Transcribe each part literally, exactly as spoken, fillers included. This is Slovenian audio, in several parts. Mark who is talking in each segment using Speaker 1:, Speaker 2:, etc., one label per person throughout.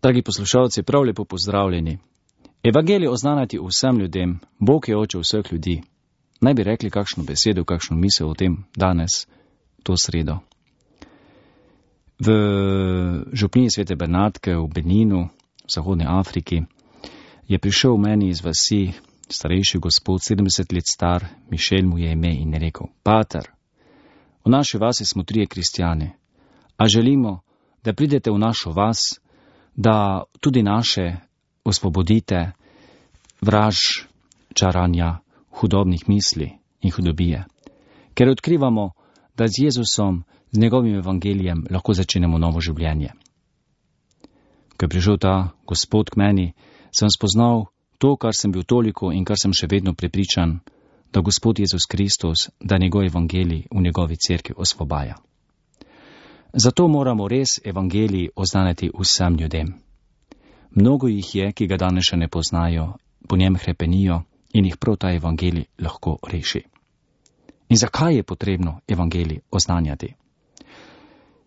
Speaker 1: Dragi poslušalci, prav lepo pozdravljeni. Evangelij oznanjati vsem ljudem, Bog je oče vseh ljudi. Naj bi rekli kakšno besedo, kakšno misel o tem danes, to sredo. V župniji Svete Bernatke v Beninu, v Zahodni Afriki, je prišel meni iz vasi starejši gospod, sedemdeset let star, Mišel mu je ime, in je rekel: Pater, v naši vasi smo trije kristjani, a želimo, da pridete v našo vas, da tudi naše osvobodite vraž, čaranja, hudobnih misli in hudobije. Ker odkrivamo, da z Jezusom, z njegovim evangelijem lahko začnemo novo življenje. Ko je prišel ta gospod k meni, sem spoznal to, kar sem bil toliko in kar sem še vedno prepričan, da Gospod Jezus Kristus, da njegov evangelij v njegovi cerkvi osvobaja. Zato moramo res evangelij oznanjati vsem ljudem. Mnogo jih je, ki ga danes še ne poznajo, po njem hrepenijo in jih prav ta evangelij lahko reši. In zakaj je potrebno evangelij oznanjati?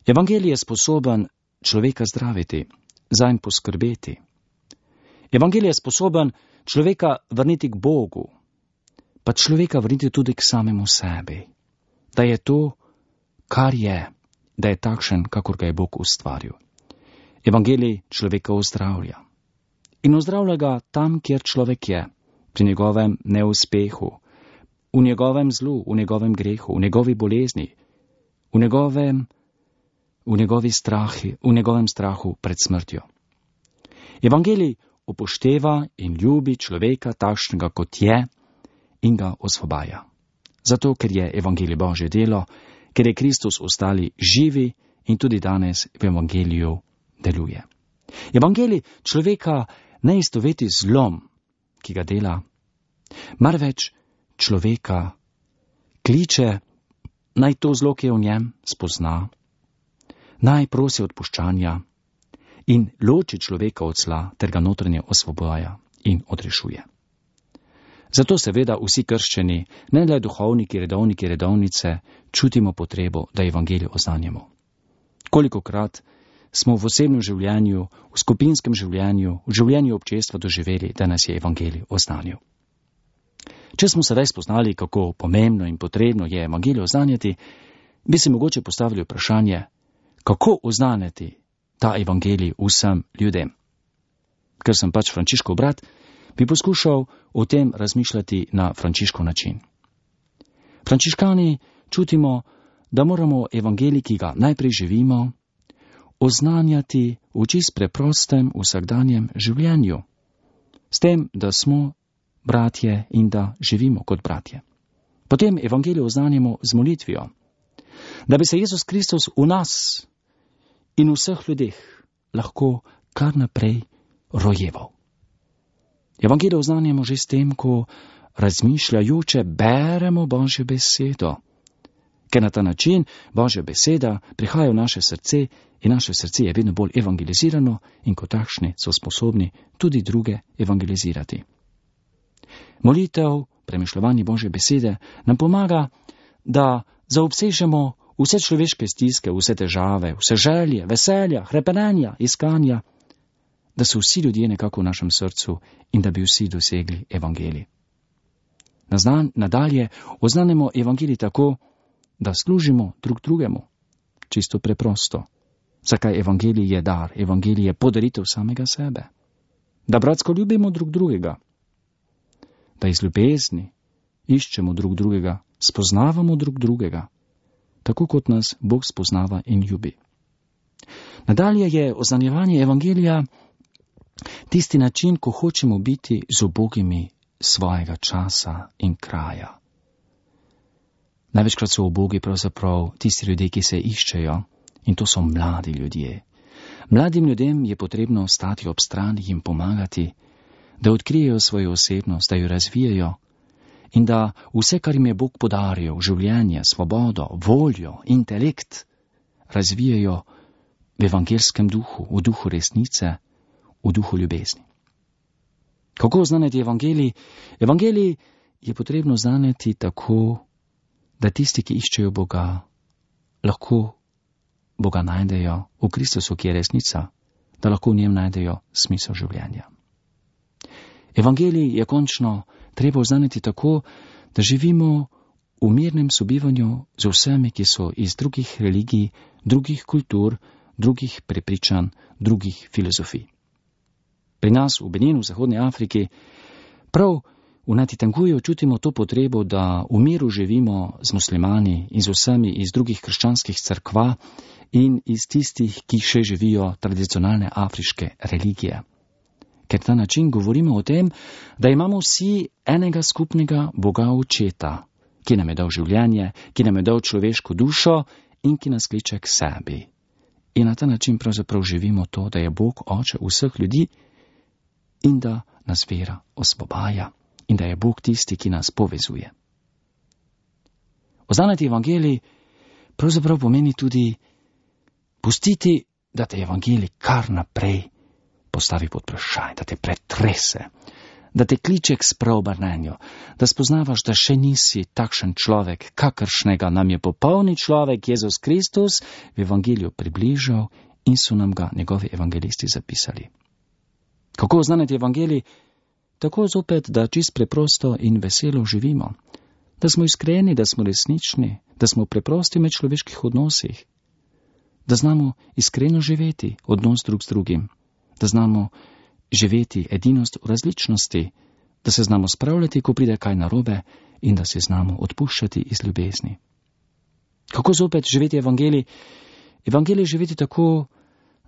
Speaker 1: Evangelij je sposoben človeka zdraviti, zanj poskrbeti. Evangelij je sposoben človeka vrniti k Bogu, pa človeka vrniti tudi k samemu sebi, da je to, kar je, da je takšen, kakor ga je Bog ustvaril. Evangelij človeka ozdravlja. In ozdravlja ga tam, kjer človek je, pri njegovem neuspehu, v njegovem zlu, v njegovem grehu, v njegovi bolezni, v njegovem, v njegovi strahi, v njegovem strahu pred smrtjo. Evangelij upošteva in ljubi človeka takšnega, kot je, in ga osvobaja. Zato, ker je evangelij Božje delo, ker je Kristus ostali živi in tudi danes v evangeliju deluje. Evangelij človeka ne istoveti zlom, ki ga dela, marveč človeka kliče, naj to zlo, ki je v njem, spozna, naj prosi odpuščanja in loči človeka od zla, ter ga notranje osvoboja in odrešuje. Zato seveda vsi krščeni, ne le duhovniki, redovniki, redovnice, čutimo potrebo, da evangelij oznanjamo. Kolikokrat smo v osebnem življenju, v skupinskem življenju, v življenju občestva doživeli, da nas je evangelij oznanil. Če smo sedaj spoznali, kako pomembno in potrebno je evangelij oznanjati, bi se mogoče postavili vprašanje, kako oznanjati ta evangelij vsem ljudem. Ker sem pač Frančiškov brat, bi poskušal o tem razmišljati na Frančiškov način. Frančiškani čutimo, da moramo evangelij, ki ga najprej živimo, oznanjati v čist preprostem vsakdanjem življenju, s tem, da smo bratje in da živimo kot bratje. Potem evangelij oznanjamo z molitvijo, da bi se Jezus Kristus v nas in v vseh ljudeh lahko kar naprej rojeval. Evangelij oznanjamo že s tem, ko razmišljajoče beremo Božjo besedo, ker na ta način Božja beseda prihaja v naše srce in naše srce je vedno bolj evangelizirano in kot takšni so sposobni tudi druge evangelizirati. Molitev, premišljevanje Božje besede nam pomaga, da zaobsežemo vse človeške stiske, vse težave, vse želje, veselja, hrepenenja, iskanja, da so vsi ljudje nekako v našem srcu in da bi vsi dosegli evangelij. Naznan, nadalje oznanemo evangelij tako, da služimo drug drugemu, čisto preprosto. Zakaj evangelij je dar, evangelij je podaritev samega sebe. Da bratsko ljubimo drug drugega, da iz ljubezni iščemo drug drugega, spoznavamo drug drugega, tako kot nas Bog spoznava in ljubi. Nadalje je oznanjevanje evangelija tisti način, ko hočemo biti z ubogimi svojega časa in kraja. Največkrat so ubogi pravzaprav tisti ljudje, ki se iščejo, in to so mladi ljudje. Mladim ljudem je potrebno stati ob strani in pomagati, da odkrijejo svojo osebnost, da jo razvijajo in da vse, kar jim je Bog podaril, življenje, svobodo, voljo, intelekt, razvijajo v evangelskem duhu, v duhu resnice, v duhu ljubezni. Kako oznanjati evangelij? Evangelij je potrebno oznanjati tako, da tisti, ki iščejo Boga, lahko Boga najdejo v Kristusu, ki je resnica, da lahko v njem najdejo smisel življenja. Evangelij je končno treba oznaniti tako, da živimo v mirnem sobivanju z vsemi, ki so iz drugih religij, drugih kultur, drugih prepričanj, drugih filozofij. Pri nas v Beninu, v Zahodni Afriki, prav v Natitanguju čutimo to potrebo, da v miru živimo z muslimani in z vsemi iz drugih krščanskih cerkva in iz tistih, ki še živijo tradicionalne afriške religije. Ker ta način govorimo o tem, da imamo vsi enega skupnega Boga Očeta, ki nam je dal življenje, ki nam je dal človeško dušo in ki nas kliče k sebi. In na ta način pravzaprav živimo to, da je Bog Oče vseh ljudi in da nas vera osvobaja in da je Bog tisti, ki nas povezuje. Oznaniti evangelij pravzaprav pomeni tudi pustiti, da te evangelij kar naprej postavi pod vprašaj, da te pretrese, da te kliče k spreobrnenju, da spoznavaš, da še nisi takšen človek, kakršnega nam je popolni človek Jezus Kristus v evangeliju približal in so nam ga njegovi evangelisti zapisali. Kako oznaniti evangelij? Tako zopet, da čist preprosto in veselo živimo, da smo iskreni, da smo resnični, da smo preprosti v medčloveških odnosih, da znamo iskreno živeti odnos drug z drugim, da znamo živeti edinost v različnosti, da se znamo spravljati, ko pride kaj narobe in da se znamo odpuščati iz ljubezni. Kako zopet živeti evangelij? Evangelij živeti tako,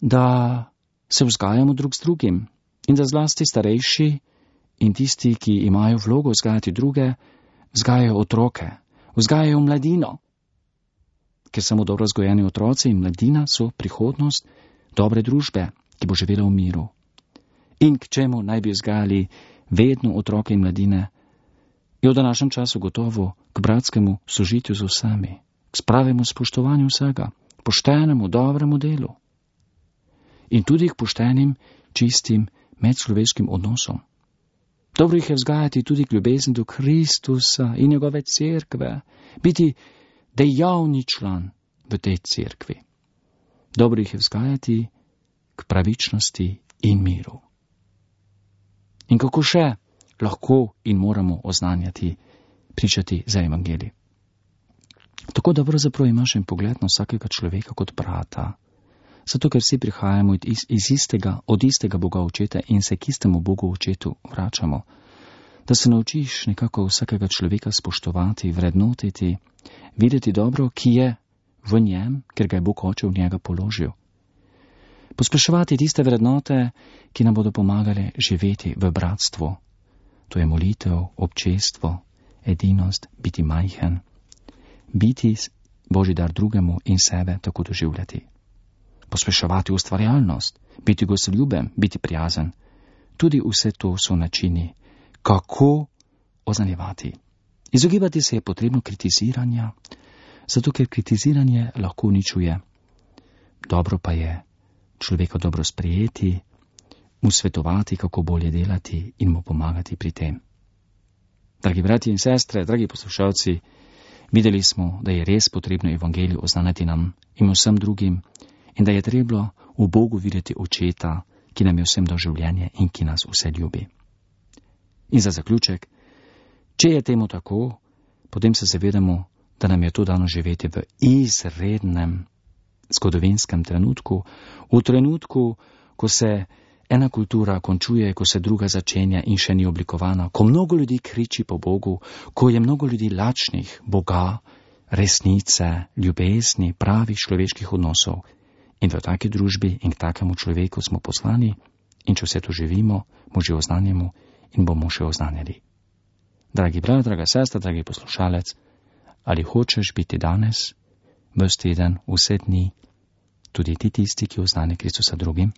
Speaker 1: da se vzgajamo drug z drugim in da zlasti starejši in tisti, ki imajo vlogo vzgajati druge, vzgajajo otroke, vzgajajo mladino. Ker samo dobro vzgojeni otroci in mladina so prihodnost dobre družbe, ki bo živela v miru. In k čemu naj bi vzgajali vedno otroke in mladine? Je v današnjem času gotovo k bratskemu sožitju z vsemi, k spravemu spoštovanju vsega, poštenemu, dobremu delu. In tudi k poštenim, čistim, medčloveškim odnosom. Dobro jih je vzgajati tudi k ljubezni do Kristusa in njegove cerkve, biti dejavni član v tej cerkvi. Dobro jih je vzgajati k pravičnosti in miru. In kako še lahko in moramo oznanjati, pričati za evangelij? Tako da pravzaprav imaš en pogled na vsakega človeka kot brata, zato ker vsi prihajamo iz, iz istega, od istega Boga Očeta in se k istemu Bogu Očetu vračamo, da se naučiš nekako vsakega človeka spoštovati, vrednotiti, videti dobro, ki je v njem, ker ga je Bog Oče v njega položil. Pospeševati tiste vrednote, ki nam bodo pomagale živeti v bratstvu. To je molitev, občestvo, edinost, biti majhen, biti Božji dar drugemu in sebe tako doživljati. Pospeševati ustvarjalnost, biti gostoljuben, biti prijazen. Tudi vse to so načini, kako oznanjevati. Izogibati se je potrebno kritiziranja, zato ker kritiziranje lahko uničuje. Dobro pa je človeka dobro sprejeti, mu svetovati, kako bolje delati in mu pomagati pri tem. Dragi bratje in sestre, dragi poslušalci, videli smo, da je res potrebno evangelij oznaniti nam in vsem drugim in da je treba v Bogu videti Očeta, ki nam je vsem dal življenje in ki nas vse ljubi. In za zaključek, če je temu tako, potem se zavedamo, da nam je to dano živeti v izrednem zgodovinskem trenutku, v trenutku, ko se ena kultura končuje, ko se druga začenja in še ni oblikovana, ko mnogo ljudi kriči po Bogu, ko je mnogo ljudi lačnih Boga, resnice, ljubezni, pravih človeških odnosov. In v taki družbi in k takemu človeku smo poslani in če vse to živimo, mu že oznanjamo in bomo še oznanjali. Dragi brat, draga sestra, dragi poslušalec, ali hočeš biti danes, ves teden, vse dni, tudi ti tisti, ki oznanje Kristusa drugim?